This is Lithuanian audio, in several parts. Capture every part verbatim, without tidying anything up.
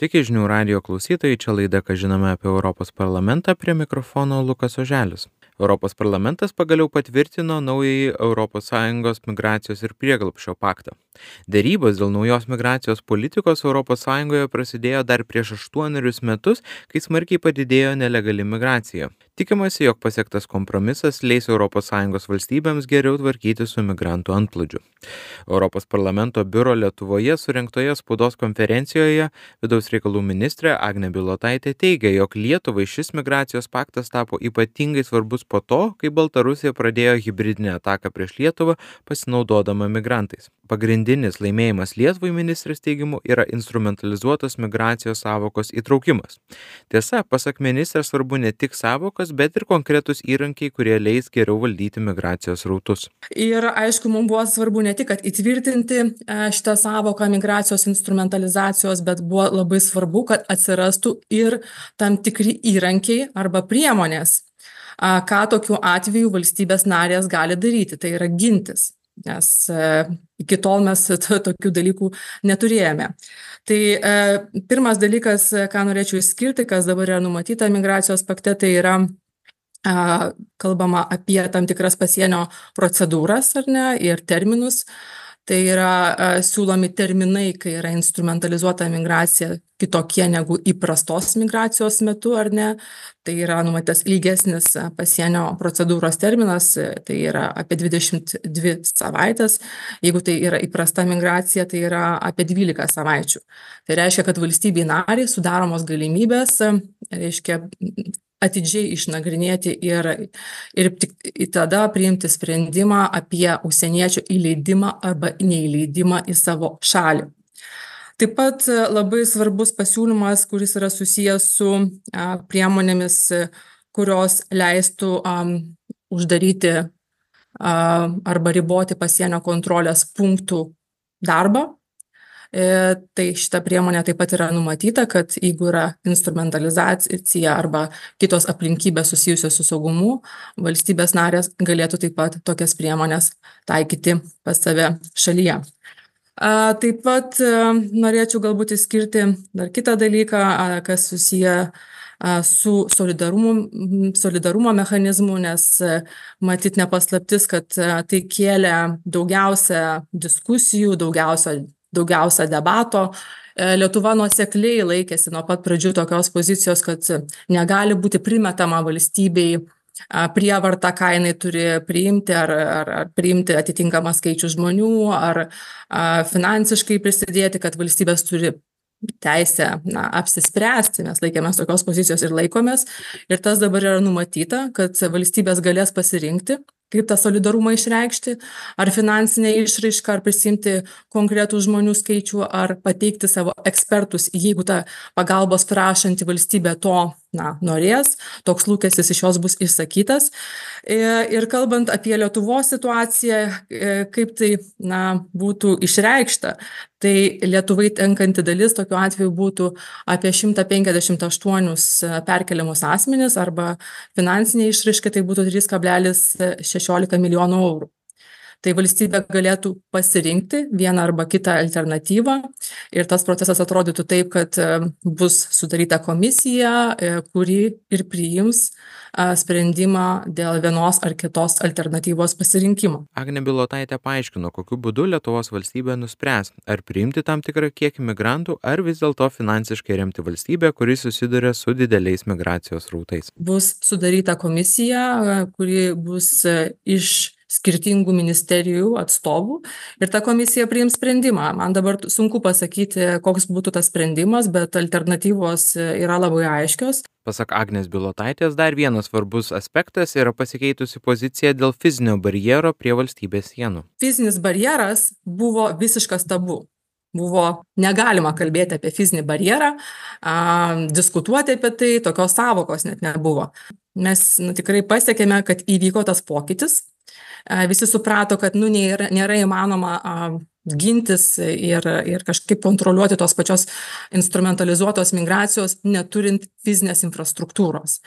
Sveiki žinių radijo klausytojai, čia laida, ką žinome apie Europos parlamentą, prie mikrofono Lukas Oželis. Europos parlamentas pagaliau patvirtino naująjį Europos Sąjungos migracijos ir prieglobsčio paktą. Dėrybos dėl naujos migracijos politikos Europos Sąjungoje prasidėjo dar prieš aštuonerius metus, kai smarkiai padidėjo nelegali migracija. Tikimasi, jog pasiektas kompromisas leis Europos Sąjungos valstybėms geriau tvarkyti su migrantų antplūdžiu. Europos parlamento biuro Lietuvoje surengtoje spaudos konferencijoje vidaus reikalų ministrė Agnė Bilotaitė teigia, jog Lietuvai šis migracijos paktas tapo ypatingai svarbus po to, kai Baltarusija pradėjo hibridinę ataką prieš Lietuvą pasinaudodama migrantais. Pagrindinis laimėjimas Lietuvai ministrės teigimu yra instrumentalizuotos migracijos sąvokos įtraukimas. Tiesa, pasak ministrės svarbu ne tik sąvokos, bet ir konkretus įrankiai, kurie leis geriau valdyti migracijos rautus. Ir aišku, mums buvo svarbu ne tik, kad įtvirtinti šitą sąvoką migracijos instrumentalizacijos, bet buvo labai svarbu, kad atsirastų ir tam tikri įrankiai arba priemonės, ką tokiu atveju valstybės narės gali daryti, tai yra gintis. Nes iki tol mes tokių dalykų neturėjome. Tai pirmas dalykas, ką norėčiau išskirti, kas dabar yra numatyta migracijos pakte, tai yra kalbama apie tam tikras pasienio procedūras, ar ne, ir terminus. Tai yra siūlomi terminai, kai yra instrumentalizuota migracija kitokie negu įprastos migracijos metu, ar ne. Tai yra numatytas ilgesnis pasienio procedūros terminas, tai yra apie dvidešimt dvi savaitės. Jeigu tai yra įprasta migracija, tai yra apie dvylika savaičių. Tai reiškia, kad valstybei nariai sudaromos galimybės, reiškia, atidžiai išnagrinėti ir, ir tik tada priimti sprendimą apie užsieniečio įleidimą arba neįleidimą į savo šalį. Taip pat labai svarbus pasiūlymas, kuris yra susijęs su a, priemonėmis, kurios leistų a, uždaryti a, arba riboti pasienio kontrolės punktų darbą. E, tai šita priemonė taip pat yra numatyta, kad jeigu yra instrumentalizacija arba kitos aplinkybės susijusios su saugumu, valstybės narės galėtų taip pat tokias priemonės taikyti pas save šalyje. A, taip pat a, norėčiau galbūt išskirti dar kitą dalyką, a, kas susiję a, su solidarumo, solidarumo mechanizmu, nes a, matyt nepaslaptis, kad a, tai kėlė daugiausia diskusijų, daugiausia daugiausia debato. Lietuva nuosekliai laikėsi nuo pat pradžių tokios pozicijos, kad negali būti primetama valstybei prievarta, ką jinai turi priimti, ar, ar, ar priimti atitinkamą skaičių žmonių, ar a, finansiškai prisidėti, kad valstybės turi teisę na, apsispręsti. Mes laikėmės tokios pozicijos ir laikomės. Ir tas dabar yra numatyta, kad valstybės galės pasirinkti, kaip tą solidarumą išreikšti, ar finansinę išraišką, ar prisimti konkretų žmonių skaičių, ar pateikti savo ekspertus, jeigu ta pagalbos prašanti valstybė to na, norės, toks lūkestis iš jos bus išsakytas. Ir kalbant apie Lietuvos situaciją, kaip tai na, būtų išreikšta, tai Lietuvai tenkanti dalis tokiu atveju būtų apie šimtas penkiasdešimt aštuonis perkeliamus asmenis, arba finansinė išraiška tai būtų trys kablelis šešiolika milijonų eurų. Tai valstybė galėtų pasirinkti vieną arba kitą alternatyvą ir tas procesas atrodytų taip, kad bus sudaryta komisija, kuri ir priims sprendimą dėl vienos ar kitos alternatyvos pasirinkimo. Agnė Bilotaitė paaiškino, kokiu būdu Lietuvos valstybė nuspręs, ar priimti tam tikrą kiekį migrantų, ar vis dėlto finansiškai remti valstybę, kuri susiduria su dideliais migracijos rautais. Bus sudaryta komisija, kuri bus iš skirtingų ministerijų atstovų ir ta komisija priims sprendimą. Man dabar sunku pasakyti, koks būtų tas sprendimas, bet alternatyvos yra labai aiškios. Pasak Agnės Bilotaitės, dar vienas svarbus aspektas yra pasikeitusi pozicija dėl fizinio barjero prie valstybės sienų. Fizinis barjeras buvo visiškas tabu. Buvo negalima kalbėti apie fizinį barjerą, a, diskutuoti apie tai, tokios sąvokos net nebuvo. Mes nu, tikrai pasiekėme, kad įvyko tas pokytis. A, visi suprato, kad nu, nėra, nėra įmanoma a, gintis ir, ir kažkaip kontroliuoti tos pačios instrumentalizuotos migracijos, neturint fizinės infrastruktūros.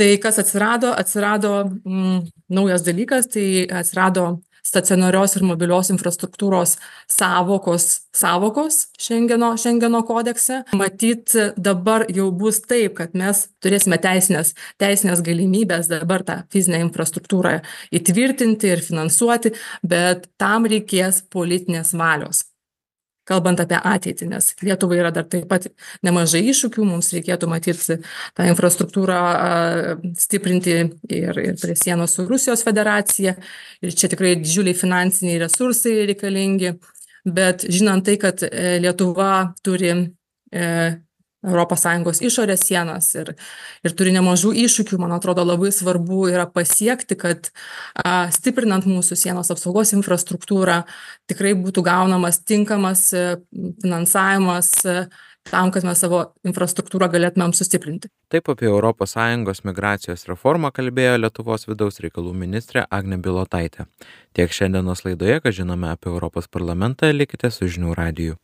Tai kas atsirado? Atsirado mm, naujas dalykas, tai atsirado stacionarios ir mobilios infrastruktūros sąvokos sąvokos Šengeno, Šengeno kodekse. Matyt, dabar jau bus taip, kad mes turėsime teisinės, teisinės galimybės dabar tą fizinę infrastruktūrą įtvirtinti ir finansuoti, bet tam reikės politinės valios. Kalbant apie ateitį, nes Lietuvai yra dar taip pat nemažai iššūkių, mums reikėtų matyti tą infrastruktūrą stiprinti ir, ir prie sienos su Rusijos federacija, ir čia tikrai didžiuliai finansiniai resursai reikalingi, bet žinant tai, kad Lietuva turi e, Europos Sąjungos išorės sienas ir, ir turi nemažų iššūkių, man atrodo labai svarbu yra pasiekti, kad a, stiprinant mūsų sienos apsaugos infrastruktūrą tikrai būtų gaunamas tinkamas finansavimas tam, kad mes savo infrastruktūrą galėtumėm sustiprinti. Taip apie Europos Sąjungos migracijos reformą kalbėjo Lietuvos vidaus reikalų ministrė Agnė Bilotaitė. Tiek šiandienos laidoje, ką žinome apie Europos parlamentą, likite su Žinių radiju.